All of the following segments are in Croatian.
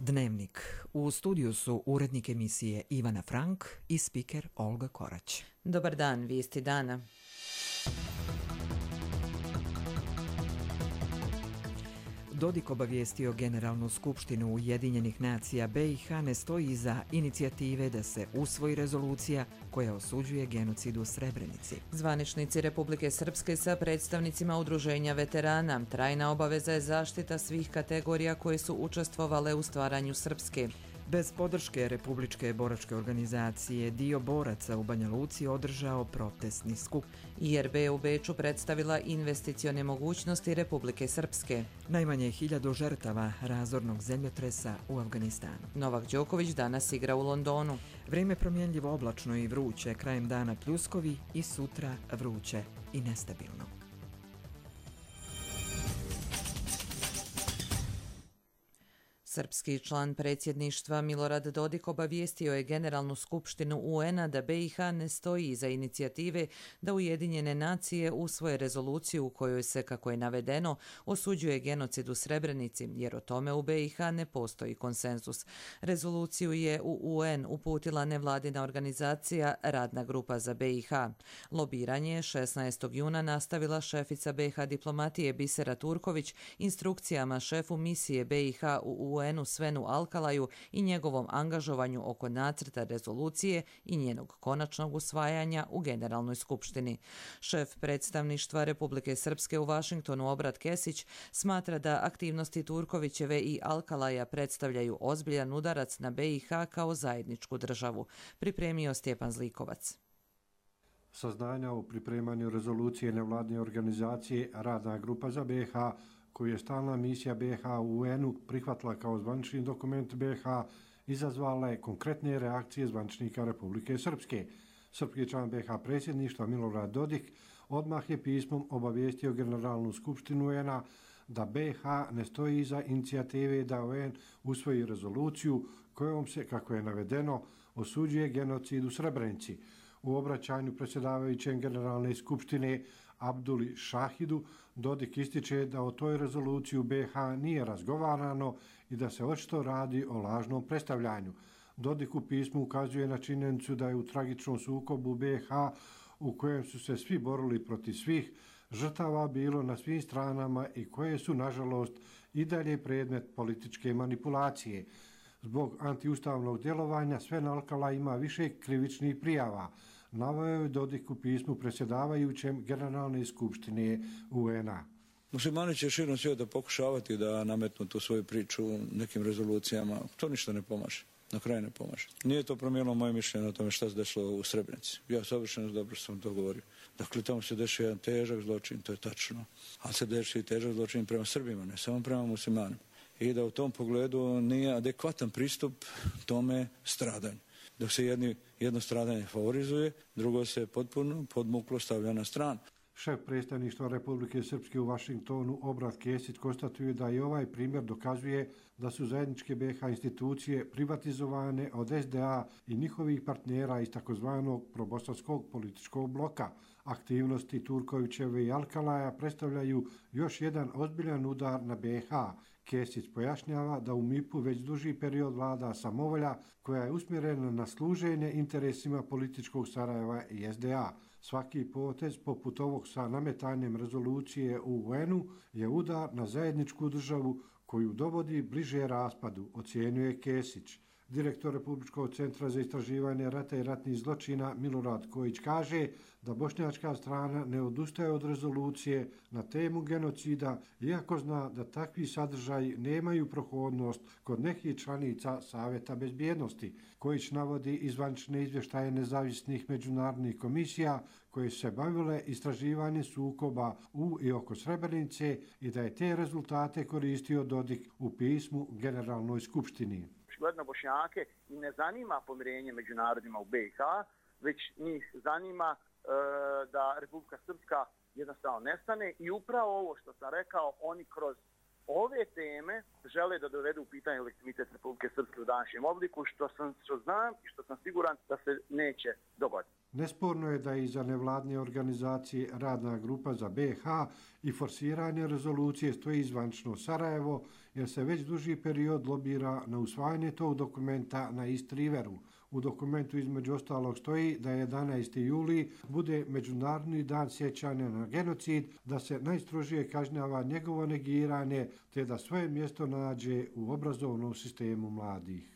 Dnevnik. U studiju su urednik emisije Ivana Frank i spiker Olga Korać. Dobar dan, vijesti dana. Dodik obavijestio Generalnu skupštinu Ujedinjenih nacija BiH ne stoji iza inicijative da se usvoji rezolucija koja osuđuje genocid u Srebrenici. Zvaničnici Republike Srpske sa predstavnicima udruženja veterana. Trajna obaveza je zaštita svih kategorija koje su učestvovale u stvaranju Srpske. Bez podrške Republičke boračke organizacije dio boraca u Banja Luci održao protestni skup. IRB u Beču predstavila investicione mogućnosti Republike Srpske. Najmanje 1000 žrtava razornog zemljotresa u Afganistanu. Novak Đoković danas igra u Londonu. Vrijeme promjenljivo oblačno i vruće, krajem dana pljuskovi i sutra vruće i nestabilno. Srpski član predsjedništva Milorad Dodik obavijestio je Generalnu skupštinu UN-a da BiH ne stoji iza inicijative da Ujedinjene nacije usvoje rezoluciju u kojoj se, kako je navedeno, osuđuje genocid u Srebrenici, jer o tome u BiH ne postoji konsenzus. Rezoluciju je u UN uputila nevladina organizacija Radna grupa za BiH. Lobiranje je 16. juna nastavila šefica BiH diplomatije Bisera Turković instrukcijama šefu misije BiH u UN-u Svenu Alkalaju i njegovom angažovanju oko nacrta rezolucije i njenog konačnog usvajanja u Generalnoj skupštini. Šef predstavništva Republike Srpske u Vašingtonu Obrat Kesić smatra da aktivnosti Turkovićeve i Alkalaja predstavljaju ozbiljan udarac na BiH kao zajedničku državu. Pripremio Stjepan Zlikovac. Saznanja o pripremanju rezolucije nevladine organizacije Radna grupa za BiH, koju je stalna misija BiH u UN-u prihvatila kao zvanični dokument BiH, izazvala je konkretne reakcije zvaničnika Republike Srpske. Srpski član BiH predsjedništva Milorad Dodik odmah je pismom obavijestio Generalnu skupštinu UN-a da BiH ne stoji iza inicijative da UN usvoji rezoluciju kojom se, kako je navedeno, osuđuje genocid u Srebrenici. U obraćanju predsjedavajućem Generalne skupštine Abduli Šahidu Dodik ističe da o toj rezoluciji u BiH nije razgovarano i da se očito radi o lažnom predstavljanju. Dodik u pismu ukazuje na činjenicu da je u tragičnom sukobu BiH u kojem su se svi borili protiv svih žrtava bilo na svim stranama i koje su, nažalost, i dalje predmet političke manipulacije. Zbog antiustavnog djelovanja Sven Alkala ima više krivičnih prijava. Naveo je Dodik u pismu predsjedavajućem Generalne skupštine UN-a. Muslimani će širom svijeta pokušavati da nametnu tu svoju priču nekim rezolucijama. To ništa ne pomaže. Na kraju ne pomaže. Nije to promijenilo moje mišljenje o tome šta se desilo u Srebrenici. Ja savršeno dobro sam to govorio. Dakle, tamo se dešava jedan težak zločin, to je tačno. Ali se dešava i težak zločin prema Srbima, ne samo prema muslimanima. I da u tom pogledu nije adekvatan pristup tome stradanju. Dok se jedno stradanje favorizuje, drugo se potpuno podmuklo stavlja na stranu. Šef predstavništva Republike Srpske u Vašingtonu Obrat Kesić konstatuje da i ovaj primjer dokazuje da su zajedničke BiH institucije privatizovane od SDA i njihovih partnera iz takozvanog probosanskog političkog bloka. Aktivnosti Turkovićeve i Alkalaja predstavljaju još jedan ozbiljan udar na BiH. Kesić pojašnjava da u MIP-u već duži period vlada samovolja koja je usmjerena na služenje interesima političkog Sarajeva i SDA. Svaki potez poput ovog sa nametanjem rezolucije u UN-u je udar na zajedničku državu koju dovodi bliže raspadu, ocjenjuje Kesić. Direktor Republičkog centra za istraživanje rata i ratnih zločina Milorad Kojić kaže da bošnjačka strana ne odustaje od rezolucije na temu genocida, iako zna da takvi sadržaji nemaju prohodnost kod nekih članica Savjeta bezbjednosti. Kojić navodi izvanične izvještaje nezavisnih međunarodnih komisija koje se bavile istraživanjem sukoba u i oko Srebrenice i da je te rezultate koristio Dodik u pismu Generalnoj skupštini. Očigledno Bošnjake i ne zanima pomirenje među narodima u BiH, već njih zanima da Republika Srpska jednostavno nestane i upravo ovo što sam rekao, oni kroz ove teme žele da dovedu u pitanje legitimitet Republike Srpske u današnjem obliku, što znam i što sam siguran da se neće dogoditi. Nesporno je da iza nevladne organizacije Radna grupa za BiH i forsiranje rezolucije stoji zvanično Sarajevo, jer se već duži period lobira na usvajanje tog dokumenta na East Riveru. U dokumentu između ostalog stoji da 11. juli bude Međunarodni dan sjećanja na genocid, da se najstrožije kažnjava njegovo negiranje, te da svoje mjesto nađe u obrazovnom sistemu mladih.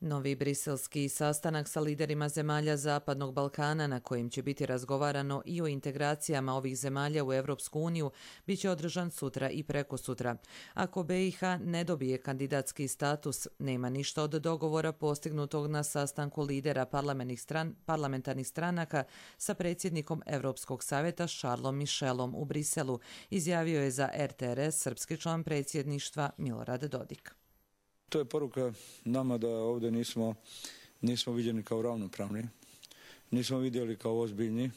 Novi briselski sastanak sa liderima zemalja Zapadnog Balkana, na kojim će biti razgovarano i o integracijama ovih zemalja u Evropsku uniju, bit će održan sutra i prekosutra. Ako BiH ne dobije kandidatski status, nema ništa od dogovora postignutog na sastanku lidera parlamentarnih stranaka sa predsjednikom Evropskog savjeta Charlesom Michelom u Briselu, izjavio je za RTRS srpski član predsjedništva Milorad Dodik. To je poruka nama da ovdje nismo viđeni kao ravnopravni, nismo vidjeli kao ozbiljni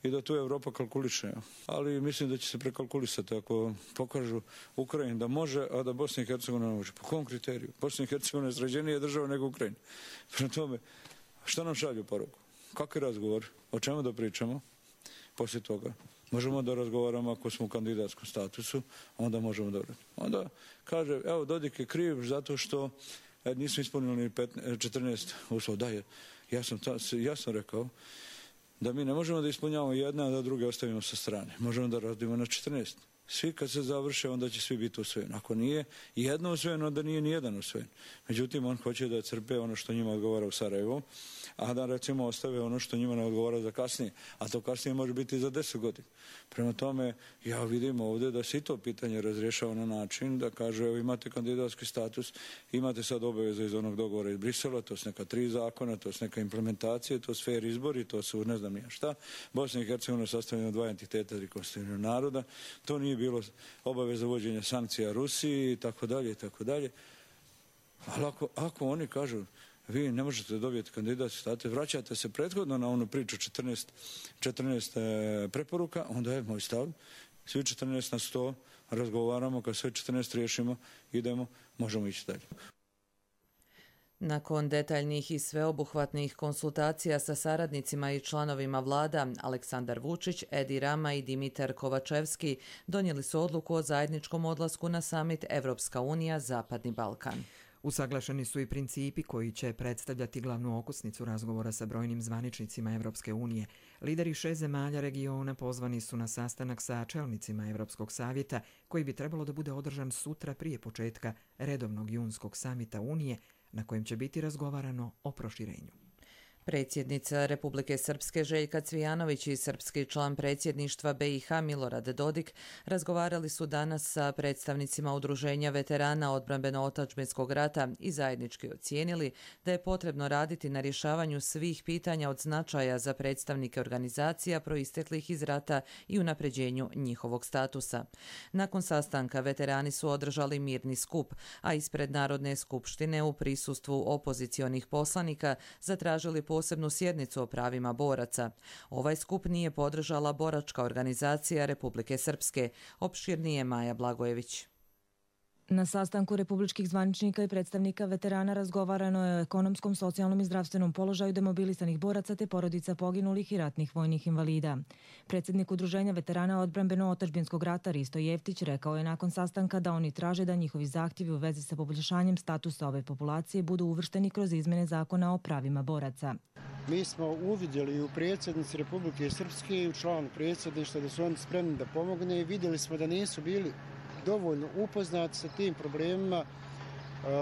i da tu Europa kalkuliše. Ali mislim da će se prekalkulisati ako pokažu Ukrajini da može, a da Bosna i Hercegovina ne može. Po kom kriteriju? Bosna i Hercegovina je sređenija država nego Ukrajina. Prema tome, što nam šalju poruku? Kakvi razgovor? O čemu da pričamo? Poslije toga možemo da razgovaramo ako smo u kandidatskom statusu, onda možemo da... Onda kaže, evo, Dodik je kriv zato što nismo ispunili 14 uslova. Da, ja sam rekao da mi ne možemo da ispunjavamo jedna, a da druge ostavimo sa strane. Možemo da radimo na 14. Svi kad se završe, onda će svi biti usvojeni. Ako nije jedno usvojeno, onda nije ni jedan usvojen. Međutim, on hoće da crpe ono što njima odgovara u Sarajevu, a da recimo ostave ono što njima ne odgovara za kasnije. A to kasnije može biti za 10 godina. Prema tome, ja vidim ovdje da se i to pitanje razrješava na način da kaže, evo imate kandidatski status, imate sad obaveze iz onog dogovora iz Brisela, to su neka 3 zakona, to su neka implementacije, to su fair izbori, to su ne znam ja šta. Bosna i Hercegovina je sastavljena od 2 entiteta i konstitutivnog naroda. To nije bilo obaveza uvođenja sankcija Rusiji i tako dalje i tako dalje. Ali ako oni kažu vi ne možete dobiti kandidatski status, vraćate se prethodno na onu priču 14 preporuka, onda je moj stav, svi 14 na 100 razgovaramo, kad sve 14 riješimo, idemo, možemo ići dalje. Nakon detaljnih i sveobuhvatnih konsultacija sa saradnicima i članovima vlada, Aleksandar Vučić, Edi Rama i Dimitar Kovačevski donijeli su odluku o zajedničkom odlasku na samit Evropska unija Zapadni Balkan. Usaglašeni su i principi koji će predstavljati glavnu okosnicu razgovora sa brojnim zvaničnicima Evropske unije. Lideri 6 zemalja regiona pozvani su na sastanak sa čelnicima Evropskog savjeta, koji bi trebalo da bude održan sutra prije početka redovnog junskog samita Unije, na kojem će biti razgovarano o proširenju. Predsjednica Republike Srpske Željka Cvijanović i srpski član predsjedništva BiH Milorad Dodik razgovarali su danas sa predstavnicima Udruženja veterana odbrambeno-otadžbinskog rata i zajednički ocijenili da je potrebno raditi na rješavanju svih pitanja od značaja za predstavnike organizacija proisteklih iz rata i unapređenju njihovog statusa. Nakon sastanka veterani su održali mirni skup, a ispred Narodne skupštine u prisustvu opozicionih poslanika zatražili posebnu sjednicu o pravima boraca. Ovaj skup nije podržala boračka organizacija Republike Srpske, opširnije Maja Blagojević. Na sastanku republičkih zvaničnika i predstavnika veterana razgovarano je o ekonomskom, socijalnom i zdravstvenom položaju demobilisanih boraca te porodica poginulih i ratnih vojnih invalida. Predsjednik Udruženja veterana odbrambeno-otadžbinskog rata Risto Jeftić rekao je nakon sastanka da oni traže da njihovi zahtjevi u vezi sa poboljšanjem statusa ove populacije budu uvršteni kroz izmjene zakona o pravima boraca. Mi smo uvidjeli u predsjednici Republike Srpske i u članu predsjedništva da su oni spremni da pomogne i vidjeli smo da nisu bili dovoljno upoznati sa tim problemima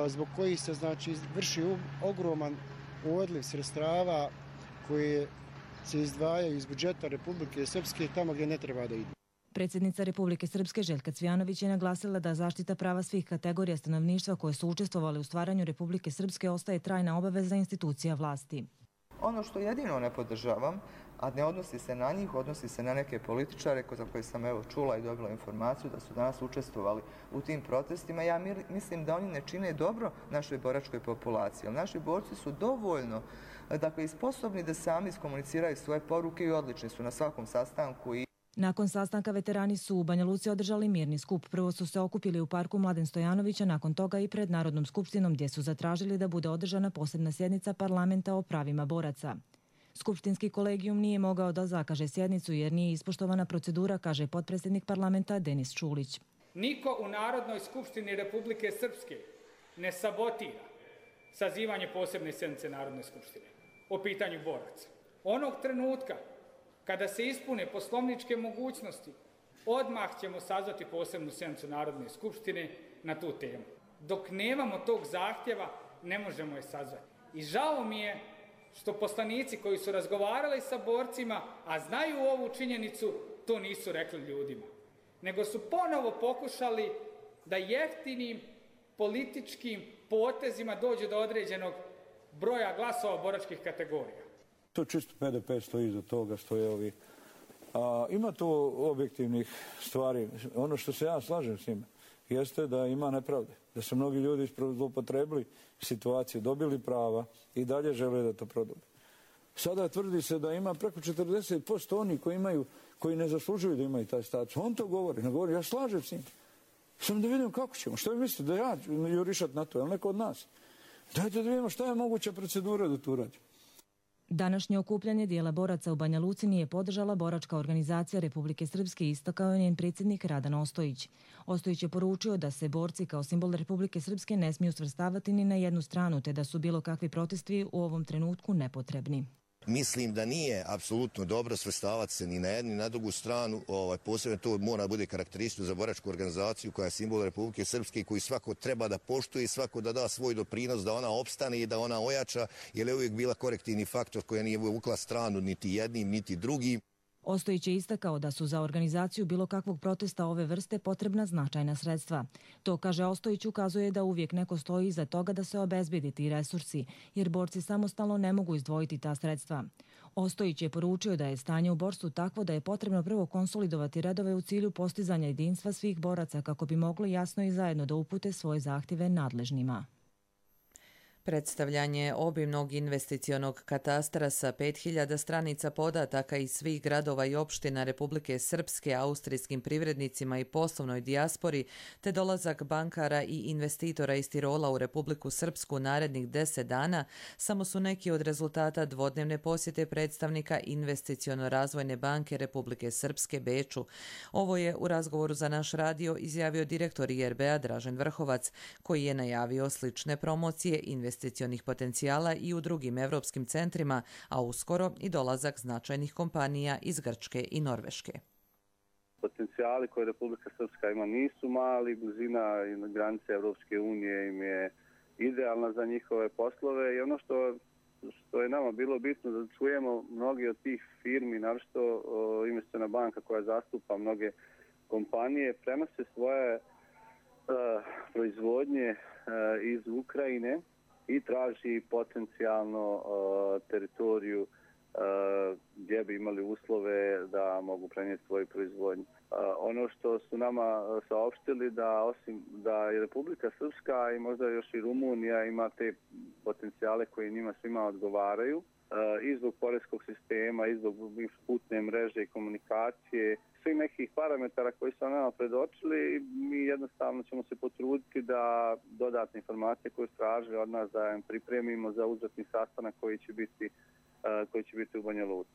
zbog kojih se vrši ogroman odliv sredstava koje se izdvajaju iz budžeta Republike Srpske tamo gdje ne treba da idu. Predsjednica Republike Srpske Željka Cvijanović je naglasila da zaštita prava svih kategorija stanovništva koje su učestvovali u stvaranju Republike Srpske ostaje trajna obaveza institucija vlasti. Ono što jedino ne podržavam, a ne odnosi se na njih, odnosi se na neke političare za koje sam čula i dobila informaciju da su danas učestvovali u tim protestima. Ja mislim da oni ne čine dobro našoj boračkoj populaciji. Naši borci su dovoljno i sposobni da sami iskomuniciraju svoje poruke i odlični su na svakom sastanku. Nakon sastanka veterani su u Banja Luci održali mirni skup. Prvo su se okupili u parku Mladen Stojanovića, nakon toga i pred Narodnom skupštinom gdje su zatražili da bude održana posebna sjednica parlamenta o pravima boraca. Skupštinski kolegijum nije mogao da zakaže sjednicu jer nije ispoštovana procedura, kaže potpredsjednik parlamenta Denis Čulić. Niko u Narodnoj skupštini Republike Srpske ne sabotira sazivanje posebne sjednice Narodne skupštine o pitanju boraca. Onog trenutka kada se ispune poslovničke mogućnosti, odmah ćemo sazvati posebnu sjednicu Narodne skupštine na tu temu. Dok nemamo tog zahtjeva, ne možemo je sazvati. I žao mi je što poslanici koji su razgovarali sa borcima, a znaju ovu činjenicu, to nisu rekli ljudima. Nego su ponovo pokušali da jeftinim političkim potezima dođe do određenog broja glasova boračkih kategorija. To čisto PDP stoji iza toga, stoje ovi. Ima tu objektivnih stvari. Ono što se ja slažem s njima jeste da ima nepravde. Da su mnogi ljudi zloupotrebili situaciju, dobili prava i dalje žele da to prodube. Sada tvrdi se da ima preko 40% oni koji ne zaslužuju da imaju taj status. On to govori, ne govori, ja slažem s njim. Samo da vidimo kako ćemo. Što vi mislite da ja jurišat na to, je li neko od nas? Dajte da vidimo šta je moguća procedura da tu radi. Današnje okupljanje dijela boraca u Banja Luci nije podržala boračka organizacija Republike Srpske, istakao je njen predsjednik Radan Ostojić. Ostojić je poručio da se borci kao simbol Republike Srpske ne smiju svrstavati ni na jednu stranu, te da su bilo kakvi protesti u ovom trenutku nepotrebni. Mislim da nije apsolutno dobro svrstavati se ni na jednu ni na drugu stranu. Posebno to mora bude karakteristično za boračku organizaciju koja je simbol Republike Srpske i koju svako treba da poštuje i svako da da svoj doprinos da ona opstane i da ona ojača, jer je uvijek bila korektivni faktor koja nije vukla stranu niti jednim niti drugim. Ostojić je istakao da su za organizaciju bilo kakvog protesta ove vrste potrebna značajna sredstva. To, kaže Ostojić, ukazuje da uvijek neko stoji iza toga da se obezbedi ti resursi, jer borci samostalno ne mogu izdvojiti ta sredstva. Ostojić je poručio da je stanje u borstvu takvo da je potrebno prvo konsolidovati redove u cilju postizanja jedinstva svih boraca kako bi mogli jasno i zajedno da upute svoje zahtjeve nadležnima. Predstavljanje obimnog investicionog katastra sa 5000 stranica podataka iz svih gradova i opština Republike Srpske austrijskim privrednicima i poslovnoj dijaspori, te dolazak bankara i investitora iz Tirola u Republiku Srpsku narednih 10 dana, samo su neki od rezultata dvodnevne posjete predstavnika Investiciono-razvojne banke Republike Srpske Beču. Ovo je u razgovoru za naš radio izjavio direktor IRB-a Dražen Vrhovac, koji je najavio slične promocije investicionih potencijala i u drugim evropskim centrima, a uskoro i dolazak značajnih kompanija iz Grčke i Norveške. Potencijali koje Republika Srpska ima nisu mali, blizina i granice Evropske unije im je idealna za njihove poslove i ono što je nama bilo bitno da čujemo mnogi od tih firmi, naročito Investiciona banka koja zastupa mnoge kompanije, prenose svoje proizvodnje iz Ukrajine i traži potencijalno teritoriju gdje bi imali uslove da mogu prenijeti svoju proizvodnju. Ono što su nama saopštili da osim da je Republika Srpska i možda još i Rumunija ima te potencijale koji njima svima odgovaraju i zbog poreskog sistema, i zbog putne mreže i komunikacije, svih nekih parametara koji su nama predočili, mi jednostavno ćemo se potruditi da dodatne informacije koje su tražili od nas da im pripremimo za uzvratni sastanak koji će biti u Banja Luci.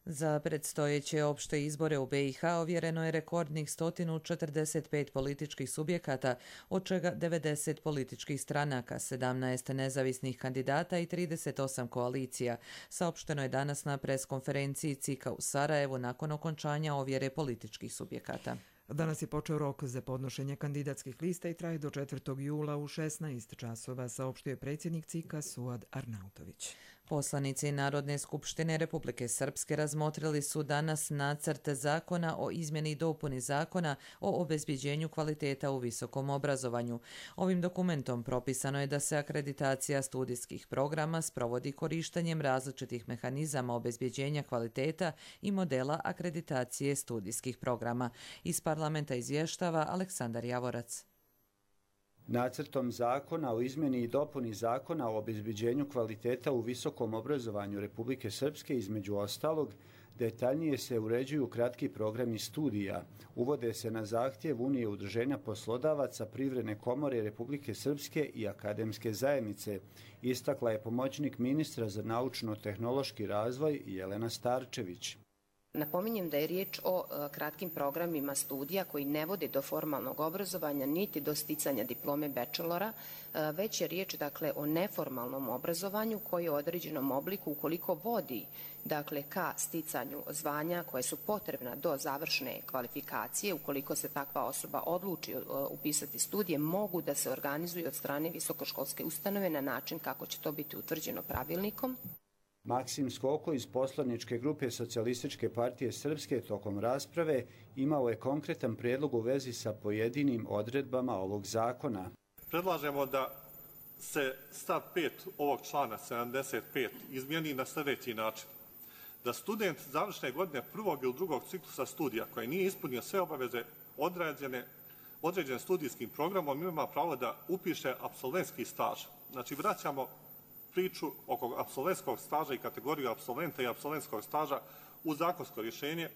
Za predstojeće opšte izbore u BiH ovjereno je rekordnih 145 političkih subjekata, od čega 90 političkih stranaka, 17 nezavisnih kandidata i 38 koalicija. Saopšteno je danas na preskonferenciji CIK-a u Sarajevu nakon okončanja ovjere političkih subjekata. Danas je počeo rok za podnošenje kandidatskih lista i traje do 4. jula u 16 časova, saopštio je predsjednik CIK-a Suad Arnautović. Poslanici Narodne skupštine Republike Srpske razmotrili su danas nacrt zakona o izmjeni i dopuni zakona o obezbjeđenju kvaliteta u visokom obrazovanju. Ovim dokumentom propisano je da se akreditacija studijskih programa sprovodi korištenjem različitih mehanizama obezbjeđenja kvaliteta i modela akreditacije studijskih programa. Iz parlamenta izvještava Aleksandar Javorac. Nacrtom zakona o izmjeni i dopuni zakona o obezbeđenju kvaliteta u visokom obrazovanju Republike Srpske, između ostalog, detaljnije se uređuju kratki programi studija, uvode se na zahtjev Unije udruženja poslodavaca, Privredne komore Republike Srpske i akademske zajednice, istakla je pomoćnik ministra za naučno-tehnološki razvoj Jelena Starčević. Napominjem da je riječ o kratkim programima studija koji ne vode do formalnog obrazovanja niti do sticanja diplome bachelora, već je riječ o neformalnom obrazovanju koji u određenom obliku, ukoliko vodi ka sticanju zvanja koje su potrebna do završne kvalifikacije, ukoliko se takva osoba odluči upisati studije, mogu da se organizuju od strane visokoškolske ustanove na način kako će to biti utvrđeno pravilnikom. Maksim Skoko iz poslaničke grupe Socijalističke partije Srpske tokom rasprave imao je konkretan prijedlog u vezi sa pojedinim odredbama ovog zakona. Predlažemo da se stav 5 ovog člana 75 izmijeni na sljedeći način. Da student završne godine prvog ili drugog ciklusa studija koji nije ispunio sve obaveze određen studijskim programom ima pravo da upiše apsolventski staž. Znači vraćamo priču oko apsolventskog staža i kategoriju apsolventa i apsolventskog staža u zakonsko rješenje.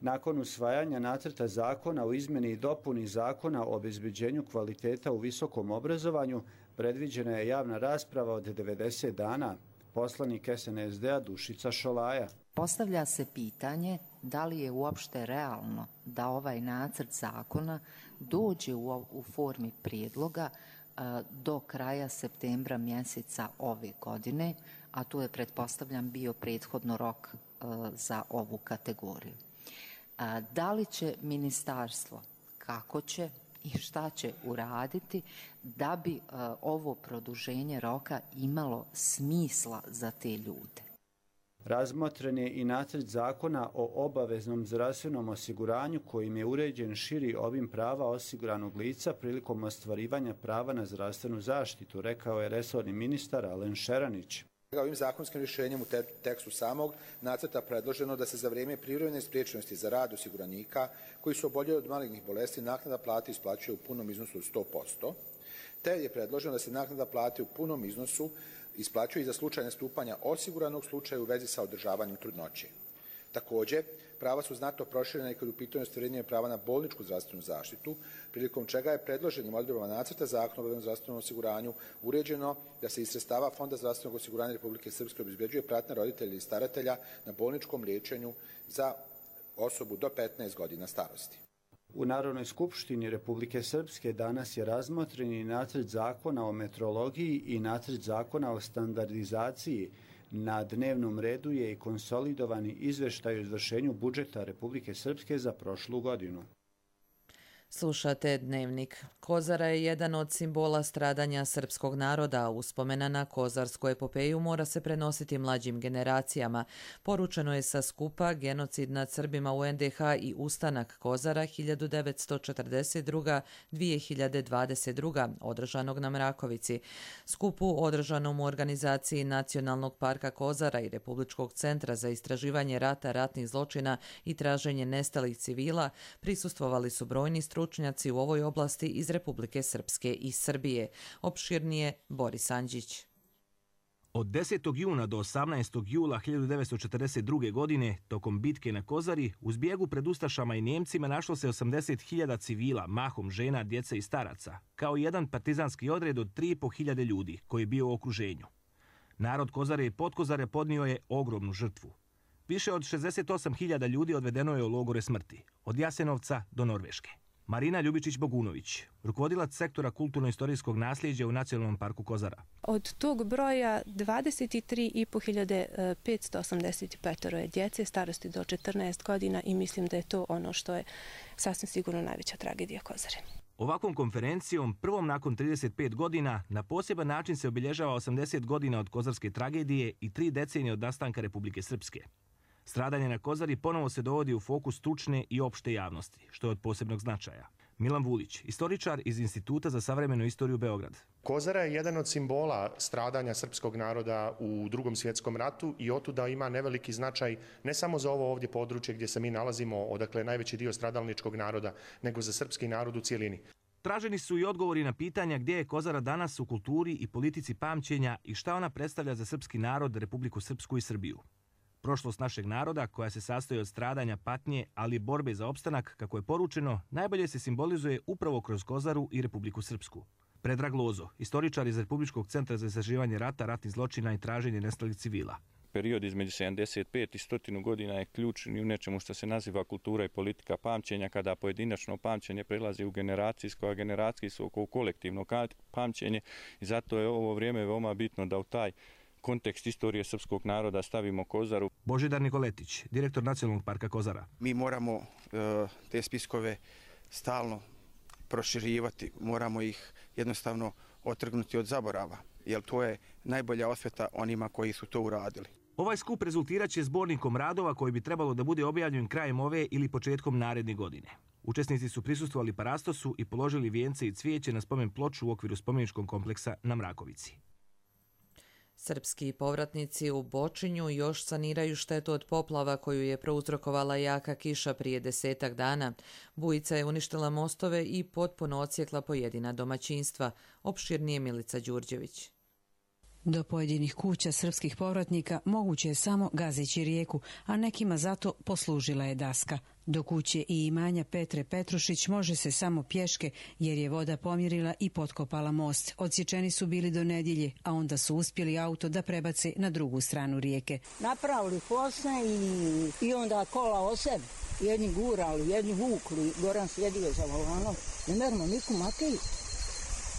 Nakon usvajanja nacrta zakona o izmjeni i dopuni zakona o obezbeđenju kvaliteta u visokom obrazovanju predviđena je javna rasprava od 90 dana. Poslanik SNSD-a Dušica Šolaja. Postavlja se pitanje da li je uopšte realno da ovaj nacrt zakona dođe u formi prijedloga do kraja septembra mjeseca ove godine, a tu je, pretpostavljam, bio prethodno rok za ovu kategoriju. Da li će ministarstvo, kako će i šta će uraditi da bi ovo produženje roka imalo smisla za te ljude? Razmotren je i nacrt zakona o obaveznom zdravstvenom osiguranju kojim je uređen širi obim prava osiguranog lica prilikom ostvarivanja prava na zdravstvenu zaštitu, rekao je resorni ministar Alen Šeranić. Ovim zakonskim rješenjem u tekstu samog nacrta predloženo da se za vrijeme privremene spriječenosti za rad osiguranika koji su oboljeli od malignih bolesti naknada plate isplaćuje u punom iznosu od 100%, te je predloženo da se naknada plate u punom iznosu isplaćuje i za slučaj nastupanja osiguranog slučaja u vezi sa održavanjem trudnoće. Također, prava su znatno proširena i kod u pitanju ostvarenja prava na bolničku zdravstvenu zaštitu, prilikom čega je predloženim odredbama nacrta zakona o obaveznom zdravstvenom osiguranju uređeno da se iz sredstava Fonda zdravstvenog osiguranja Republike Srpske obezbeđuje pratnja roditelja i staratelja na bolničkom liječenju za osobu do 15 godina starosti. U Narodnoj skupštini Republike Srpske danas je razmotren i nacrt zakona o metrologiji i nacrt zakona o standardizaciji. Na dnevnom redu je i konsolidovani izveštaj o izvršenju budžeta Republike Srpske za prošlu godinu. Slušate Dnevnik. Kozara je jedan od simbola stradanja srpskog naroda. Uspomena na kozarsku epopeju mora se prenositi mlađim generacijama. Poručeno je sa skupa Genocid nad Srbima u NDH i Ustanak Kozara 1942-2022, održanog na Mrakovici. Skupu održanom u organizaciji Nacionalnog parka Kozara i Republičkog centra za istraživanje rata, ratnih zločina i traženje nestalih civila prisustvovali su brojni stručnjaci u ovoj oblasti iz Republike Srpske i Srbije. Opširnije Boris Anđić. Od 10. juna do 18. jula 1942. godine, tokom bitke na Kozari, u zbjegu pred Ustašama i Njemcima našlo se 80.000 civila, mahom žena, djece i staraca, kao jedan partizanski odred od 3.500 ljudi koji je bio u okruženju. Narod Kozare i Podkozare podnio je ogromnu žrtvu. Više od 68.000 ljudi odvedeno je u logore smrti, od Jasenovca do Norveške. Marina Ljubičić-Bogunović, rukovodilac sektora kulturno-istorijskog nasljeđa u Nacionalnom parku Kozara. Od tog broja 23.585 je djece starosti do 14 godina i mislim da je to ono što je sasvim sigurno najveća tragedija Kozare. Ovakvom konferencijom, prvom nakon 35 godina, na poseban način se obilježava 80 godina od kozarske tragedije i 3 decenije od nastanka Republike Srpske. Stradanje na Kozari ponovo se dovodi u fokus stručne i opšte javnosti, što je od posebnog značaja. Milan Vulić, istoričar iz Instituta za savremenu istoriju Beograd. Kozara je jedan od simbola stradanja srpskog naroda u Drugom svjetskom ratu i otuda ima neveliki značaj ne samo za ovo ovdje područje gdje se mi nalazimo, odakle je najveći dio stradalničkog naroda, nego za srpski narod u cijelini. Traženi su i odgovori na pitanja gdje je Kozara danas u kulturi i politici pamćenja i šta ona predstavlja za srpski narod, Republiku Srpsku i Srbiju. Prošlost našeg naroda, koja se sastoji od stradanja, patnje, ali i borbe za opstanak, kako je poručeno, najbolje se simbolizuje upravo kroz Kozaru i Republiku Srpsku. Predrag Lozo, istoričar iz Republičkog centra za istraživanje rata, ratnih zločina i traženje nestalih civila. Period između 75 i 100 godina je ključni u nečemu što se naziva kultura i politika pamćenja, kada pojedinačno pamćenje prelazi u generacijsko, a generacijsko u kolektivno pamćenje, i zato je ovo vrijeme veoma bitno da u taj kontekst istorije srpskog naroda stavimo Kozaru. Božidar Nikoletić, direktor Nacionalnog parka Kozara. Mi moramo te spiskove stalno proširivati, moramo ih jednostavno otrgnuti od zaborava, jer to je najbolja osveta onima koji su to uradili. Ovaj skup rezultirat će zbornikom radova koji bi trebalo da bude objavljen krajem ove ili početkom naredne godine. Učesnici su prisustvovali parastosu i položili vijence i cvijeće na spomen ploču u okviru spomeničkog kompleksa na Mrakovici. Srpski povratnici u Bočinju još saniraju štetu od poplava koju je prouzrokovala jaka kiša prije 10 dana. Bujica je uništila mostove i potpuno odsjekla pojedina domaćinstva. Opširnije Milica Đurđević. Do pojedinih kuća srpskih povratnika moguće je samo gazeći rijeku, a nekima zato poslužila je daska. Do kuće i imanja Petre Petrušić može se samo pješke, jer je voda pomjerila i potkopala most. Odsječeni su bili do nedjelje, a onda su uspjeli auto da prebace na drugu stranu rijeke. Napravili posne i onda kola o sebi. Jedni gurali, jedni vukli, Goran sjedio za volanom. Ne merno niku Mateju,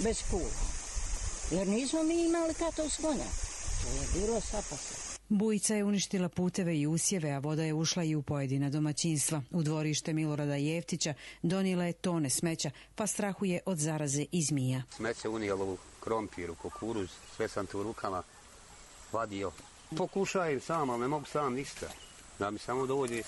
bez pula. Jer nismo mi imali kato skonja. To je bilo sapasa. Bujica je uništila puteve i usjeve, a voda je ušla i u pojedina domaćinstva. U dvorište Milorada Jeftića donijela je tone smeća, pa strahuje od zaraze i zmija. Smeće unijelo u krompir, u kukuruz, sve sam tu rukama vadio. Pokušaju sam, ali ne mogu sam ništa. Da mi samo dođe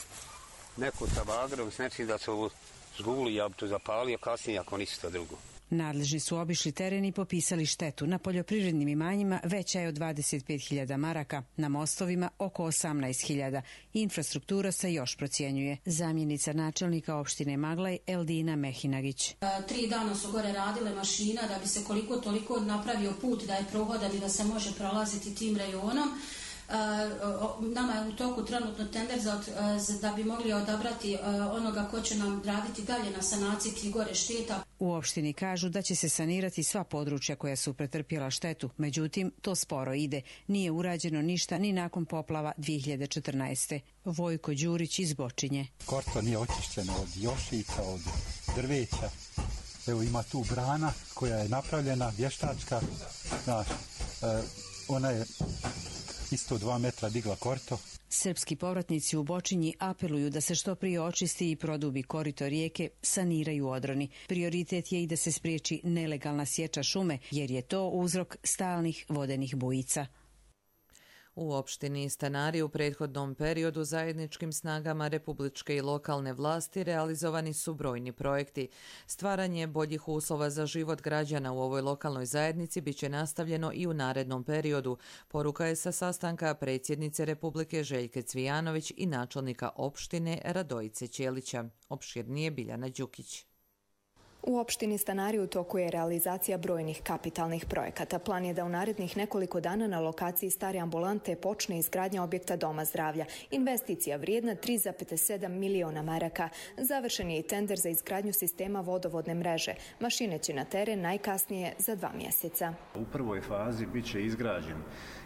neko sa bagrom s nečim da se ovo zguli, ja bi to zapalio kasnije ako ništa drugo. Nadležni su obišli teren i popisali štetu. Na poljoprivrednim imanjima veća je od 25.000 maraka, na mostovima oko 18.000. Infrastruktura se još procjenjuje. Zamjenica načelnika opštine Maglaj Eldina Mehinagić. 3 dana su gore radile mašina da bi se koliko toliko napravio put da je prohodan i da se može prolaziti tim rejonom. Nama je u toku trenutno tender da bi mogli odabrati onoga ko će nam raditi dalje na sanaciji tih gore šteta. U opštini kažu da će se sanirati sva područja koja su pretrpjela štetu, međutim to sporo ide. Nije urađeno ništa ni nakon poplava 2014. Vojko Đurić iz Bočinje. Korto nije očišćeno od jošica, od drveća. Evo ima tu brana koja je napravljena, vještačka. Znaš, ona je isto 2 metra digla korito. Srpski povratnici u Bočinji apeluju da se što prije očisti i produbi korito rijeke, saniraju odroni. Prioritet je i da se spriječi nelegalna sječa šume, jer je to uzrok stalnih vodenih bujica. U opštini Stanari u prethodnom periodu zajedničkim snagama republičke i lokalne vlasti realizovani su brojni projekti. Stvaranje boljih uslova za život građana u ovoj lokalnoj zajednici biće nastavljeno i u narednom periodu. Poruka je sa sastanka predsjednice Republike Željke Cvijanović i načelnika opštine Radojice Ćelića. Opširnije Biljana Đukić. U opštini Stanari u toku je realizacija brojnih kapitalnih projekata. Plan je da u narednih nekoliko dana na lokaciji stare ambulante počne izgradnja objekta Doma zdravlja. Investicija vrijedna 3,7 miliona maraka. Završen je i tender za izgradnju sistema vodovodne mreže. Mašine će na teren najkasnije za 2 mjeseca. U prvoj fazi bit će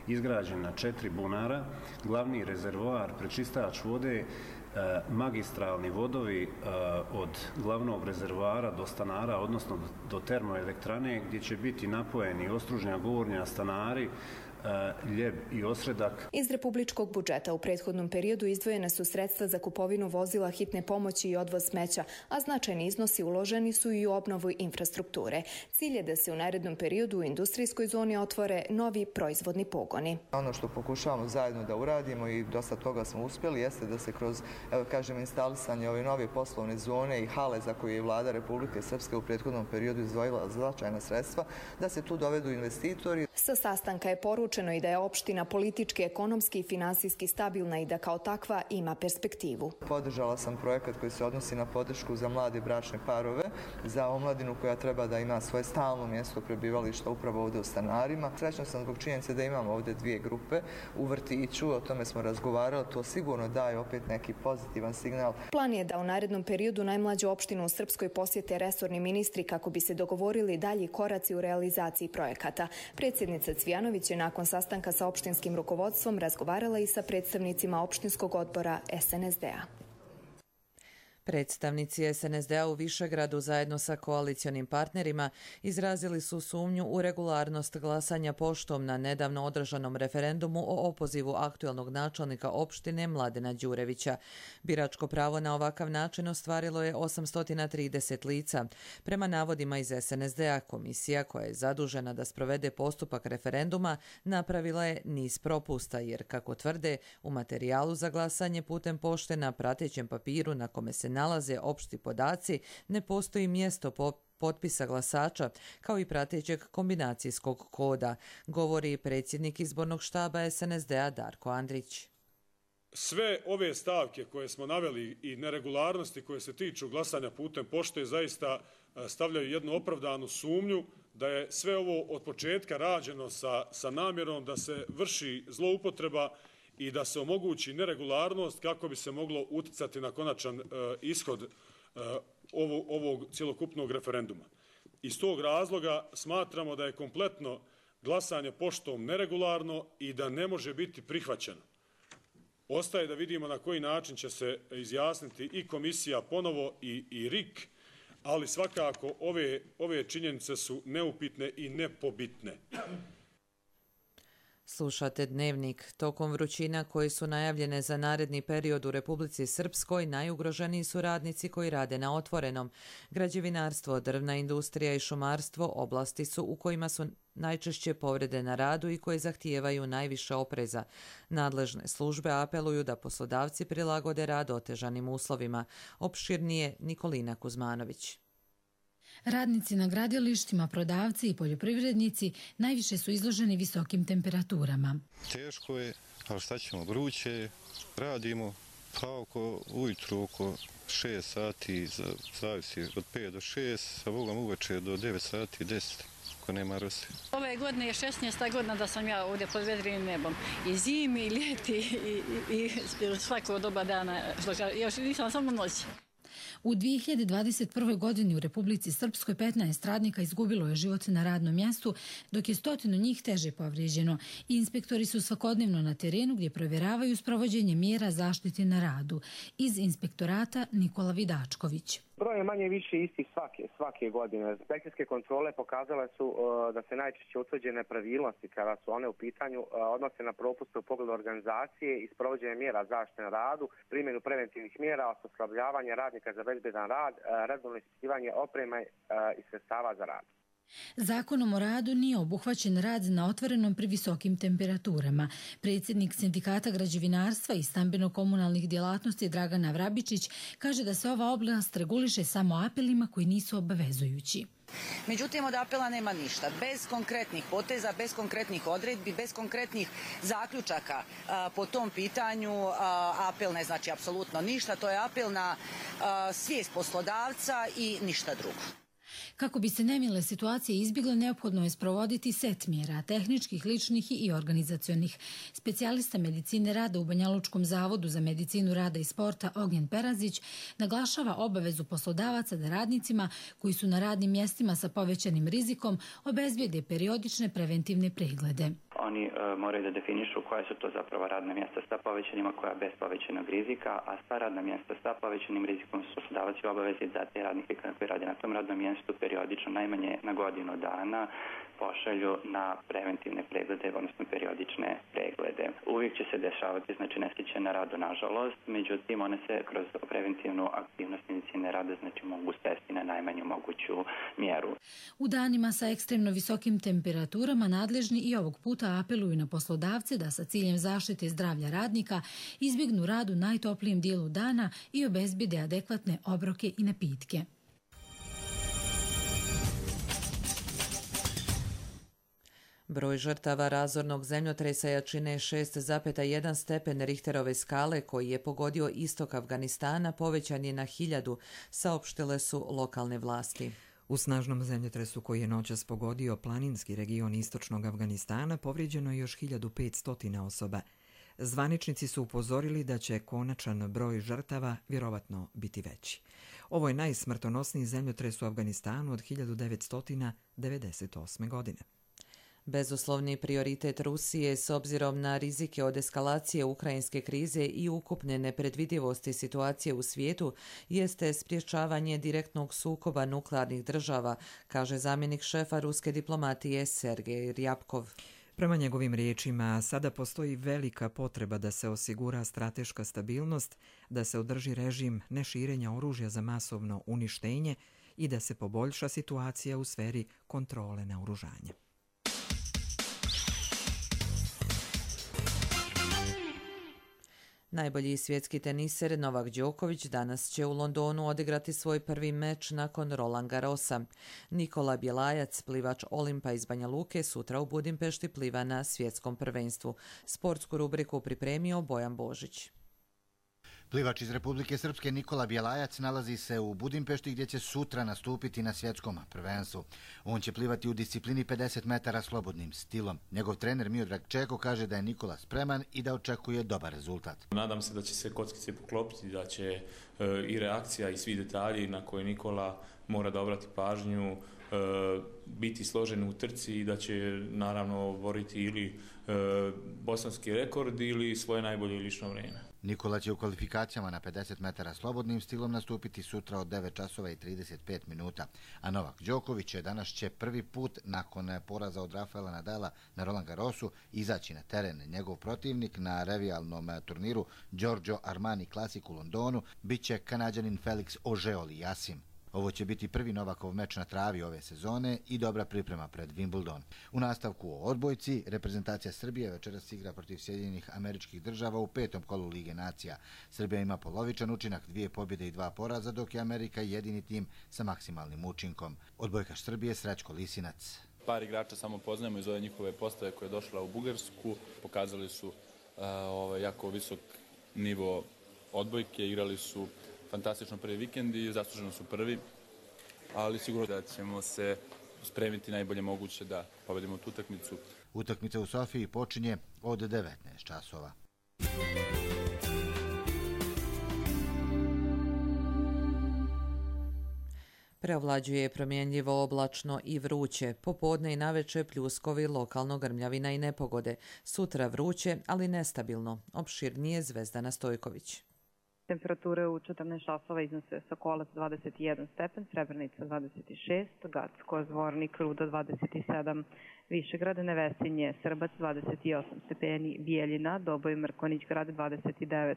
izgrađena 4 bunara, glavni rezervoar, prečistač vode, magistralni vodovi od glavnog rezervoara do stanara, odnosno do termoelektrane, gdje će biti napojeni Ostružnja, Gornja, Stanari, Ljeb i Osredak. Iz republičkog budžeta u prethodnom periodu izdvojene su sredstva za kupovinu vozila hitne pomoći i odvoz smeća, a značajni iznosi uloženi su i u obnovu infrastrukture. Cilj je da se u narednom periodu u industrijskoj zoni otvore novi proizvodni pogoni. Ono što pokušavamo zajedno da uradimo i dosta toga smo uspjeli jeste da se kroz, instalisanje ove nove poslovne zone i hale za koje je vlada Republike Srpske u prethodnom periodu izdvojila značajna sredstva, da se tu dovedu investitori. Sa sastanka je poručeno odlučeno i da je opština politički, ekonomski i finansijski stabilna i da kao takva ima perspektivu. Podržala sam projekat koji se odnosi na podršku za mlade bračne parove, za omladinu koja treba da ima svoje stalno mjesto prebivališta upravo ovdje u stanarima. Srećna sam zbog činjenice da imamo ovdje 2 grupe u vrtiću, o tome smo razgovarali, to sigurno daje opet neki pozitivan signal. Plan je da u narednom periodu najmlađu opštinu u Srpskoj posjete resorni ministri kako bi se dogovorili dalji koraci u realizaciji projekata. Predsjednica Cvijanović je nakon sastanka sa opštinskim rukovodstvom razgovarala i sa predstavnicima opštinskog odbora SNSD-a. Predstavnici SNSD-a u Višegradu zajedno sa koalicionim partnerima izrazili su sumnju u regularnost glasanja poštom na nedavno održanom referendumu o opozivu aktuelnog načelnika opštine Mladena Đurevića. Biračko pravo na ovakav način ostvarilo je 830 lica. Prema navodima iz SNSD-a, komisija koja je zadužena da sprovede postupak referenduma napravila je niz propusta jer, kako tvrde, u materijalu za glasanje putem pošte na pratećem papiru na kome se nalaze opšti podaci, ne postoji mjesto potpisa glasača, kao i pratećeg kombinacijskog koda, govori predsjednik izbornog štaba SNSD-a Darko Andrić. Sve ove stavke koje smo naveli i neregularnosti koje se tiču glasanja putem pošte zaista stavljaju jednu opravdanu sumnju da je sve ovo od početka rađeno sa namjerom da se vrši zloupotreba i da se omogući neregularnost kako bi se moglo uticati na konačan ishod ovog cjelokupnog referenduma. Iz tog razloga smatramo da je kompletno glasanje poštom neregularno i da ne može biti prihvaćeno. Ostaje da vidimo na koji način će se izjasniti i komisija ponovo i RIK, ali svakako ove činjenice su neupitne i nepobitne. Slušate Dnevnik. Tokom vrućina koje su najavljene za naredni period u Republici Srpskoj, najugroženiji su radnici koji rade na otvorenom. Građevinarstvo, drvna industrija i šumarstvo oblasti su u kojima su najčešće povrede na radu i koje zahtijevaju najviše opreza. Nadležne službe apeluju da poslodavci prilagode rad otežanim uslovima. Opširnije Nikolina Kuzmanović. Radnici na gradilištima, prodavci i poljoprivrednici najviše su izloženi visokim temperaturama. Teško je, ali šta ćemo, vruće, radimo pa ujutru oko 6 sati, zavisi od 5 do 6, a Bogom uveče do 9 sati, 10, ako nema rose. Ove godine je 16. godina da sam ja ovdje pod vedrim nebom. I zimi, i ljeti, i svako doba dana. Još nisam samo noći. U 2021. godini u Republici Srpskoj 15 radnika izgubilo je život na radnom mjestu, dok je 100 njih teže povrijeđeno. Inspektori su svakodnevno na terenu gdje provjeravaju sprovođenje mjera zaštite na radu. Iz inspektorata Nikola Vidačković. Broj je manje više istih svake godine. Inspekcijske kontrole pokazale su da se najčešće utvrđene nepravilnosti kada su one u pitanju odnose na propuste u pogledu organizacije i sprovođenje mjera zaštite na radu, primjenu preventivnih mjera, osposobljavanje radnika za bezbedan rad, redovno ispitivanje opreme i sredstava za rad. Zakonom o radu nije obuhvaćen rad na otvorenom pri visokim temperaturama. Predsjednik Sindikata građevinarstva i stambeno-komunalnih djelatnosti Dragana Vrabičić kaže da se ova oblast reguliše samo apelima koji nisu obavezujući. Međutim, od apela nema ništa. Bez konkretnih poteza, bez konkretnih odredbi, bez konkretnih zaključaka po tom pitanju apel ne znači apsolutno ništa. To je apel na svijest poslodavca i ništa drugo. Kako bi se nemile situacije izbjegle, neophodno je sprovoditi set mjera, tehničkih, ličnih i organizacionih. Specijalista medicine rada u Banjalučkom zavodu za medicinu rada i sporta Ognjen Perazić naglašava obavezu poslodavaca da radnicima koji su na radnim mjestima sa povećanim rizikom obezbijede periodične preventivne preglede. Oni moraju da definišu koja su to zapravo radna mjesta sa povećanima, koja bez povećanog rizika, a sva radna mjesta sa povećanim rizikom su poslodavac u obavezi da te radnike koji rade na tom radnom mjestu periodično najmanje na godinu dana pošalju na preventivne preglede, odnosno periodične preglede. Uvijek će se dešavati, znači nesreće na radu, nažalost, međutim one se kroz preventivnu aktivnost medicine rada znači mogu svesti na najmanju moguću mjeru. U danima sa ekstremno visokim temperaturama nadležni i ovog puta apeluju na poslodavce da sa ciljem zaštite zdravlja radnika izbjegnu rad u najtoplijem dijelu dana i obezbijede adekvatne obroke i napitke. Broj žrtava razornog zemljotresa jačine 6,1 stepen Richterove skale koji je pogodio istok Afganistana povećan je na 1000, saopštile su lokalne vlasti. U snažnom zemljotresu koji je noćas pogodio planinski region istočnog Afganistana povrijeđeno je još 1500 osoba. Zvaničnici su upozorili da će konačan broj žrtava vjerovatno biti veći. Ovo je najsmrtonosniji zemljotres u Afganistanu od 1998. godine. Bezuslovni prioritet Rusije s obzirom na rizike od eskalacije ukrajinske krize i ukupne nepredvidivosti situacije u svijetu jeste sprječavanje direktnog sukoba nuklearnih država, kaže zamjenik šefa ruske diplomatije Sergej Ryabkov. Prema njegovim riječima, sada postoji velika potreba da se osigura strateška stabilnost, da se održi režim neširenja oružja za masovno uništenje i da se poboljša situacija u sferi kontrole naoružanja. Najbolji svjetski teniser Novak Đoković danas će u Londonu odigrati svoj prvi meč nakon Roland Garrosa. Nikola Bjelajac, plivač Olimpa iz Banja Luke, sutra u Budimpešti pliva na svjetskom prvenstvu. Sportsku rubriku pripremio Bojan Božić. Plivač iz Republike Srpske Nikola Bjelajac nalazi se u Budimpešti gdje će sutra nastupiti na svjetskom prvenstvu. On će plivati u disciplini 50 metara slobodnim stilom. Njegov trener Miodrag Čeko kaže da je Nikola spreman i da očekuje dobar rezultat. Nadam se da će se kockice poklopiti, da će i reakcija i svi detalji na koje Nikola mora da obrati pažnju biti složen u trci i da će naravno boriti ili bosanski rekord ili svoje najbolje lično vrijeme. Nikola će u kvalifikacijama na 50 metara slobodnim stilom nastupiti sutra od 9 časova i 35 minuta. A Novak Đoković danas će prvi put nakon poraza od Rafaela Nadala na Roland Garrosu izaći na teren. Njegov protivnik na revijalnom turniru Giorgio Armani Classic u Londonu biće Kanađanin Felix Auger-Aliassime. Ovo će biti prvi Novakov meč na travi ove sezone i dobra priprema pred Wimbledon. U nastavku o odbojci, reprezentacija Srbije večeras igra protiv Sjedinjenih Američkih Država u 5. kolu Lige nacija. Srbija ima polovičan učinak, 2 pobjede i 2 poraza, dok je Amerika jedini tim sa maksimalnim učinkom. Odbojkaš Srbije Srećko Lisinac. Par igrača samo poznajemo iz ove njihove postave koja je došla u Bugarsku. Pokazali su jako visok nivo odbojke, igrali su fantastično prvi vikend i zasluženo su prvi, ali sigurno da ćemo se spremiti najbolje moguće da pobedimo tu utakmicu. Utakmica u Sofiji počinje od 19 časova. Preovlađuje promjenljivo oblačno i vruće. Popodne i naveče pljuskovi, lokalno grmljavina i nepogode. Sutra vruće, ali nestabilno. Opširnije Zvezdana Stojković. Temperature u 14 časova iznose Sokolac 21 stepen, Srebrenica 26, Gacko, Zvornik, Ruda 27, Višegrad, Nevesinje, Srbac 28 stepeni, Bijeljina, Doboj, Mrkonić, grad 29,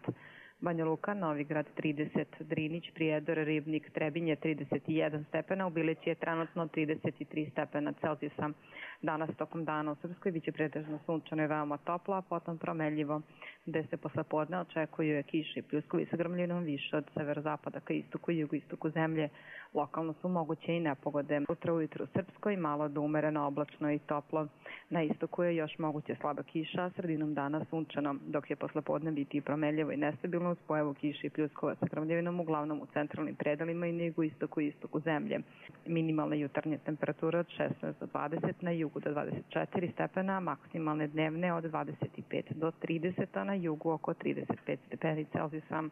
Banja Luka, Novigrad 30, Drinić, Prijedor, Ribnik, Trebinje 31 stepena, u Bilići je trenutno 33 stepena Celzijusa. Danas tokom dana u Srpskoj biće pretežno sunčano i veoma toplo, a potom promenljivo, gde se posle podne očekuju kiše i pljuskovi sa grmljinom više od severozapada ka istoku i jugoistoku zemlje. Lokalno su moguće i nepogode. Utra ujutru u Srpskoj malo do umereno oblačno i toplo. Na istoku je još moguće slaba kiša, a sredinom dana sunčano, dok je posle podne biti promenljivo i nestabilno uz pojavu kiše i pljuskova sa grmljavinom uglavnom u centralnim predelima i na jugoistoku i istoku zemlje. Minimalne jutarnje temperature od 16 do 20, na jugu do 24 stepena, maksimalne dnevne od 25 do 30, a na jugu oko 35 stepeni Celzijusa.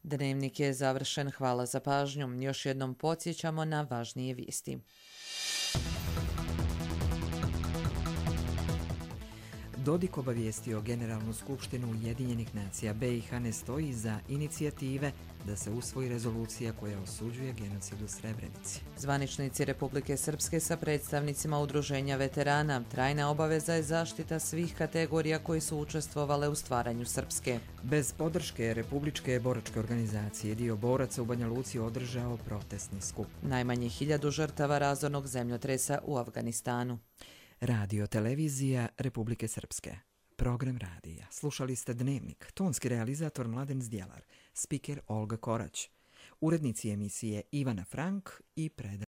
Dnevnik je završen. Hvala za pažnju. Još jednom podsjećamo na važnije vijesti. Dodik obavijestio Generalnu skupštinu Ujedinjenih nacija. BiH ne stoji za inicijative da se usvoji rezolucija koja osuđuje genocid u Srebrenici. Zvaničnici Republike Srpske sa predstavnicima udruženja veterana. Trajna obaveza je zaštita svih kategorija koji su učestvovale u stvaranju Srpske. Bez podrške Republičke boračke organizacije dio boraca u Banja Luci održao protestni skup. Najmanje 1000 žrtava razornog zemljotresa u Afganistanu. Radio televizija Republike Srpske. Program radija. Slušali ste Dnevnik. Tonski realizator Mladen Zdjelar. Spiker Olga Korać. Urednici emisije Ivana Frank i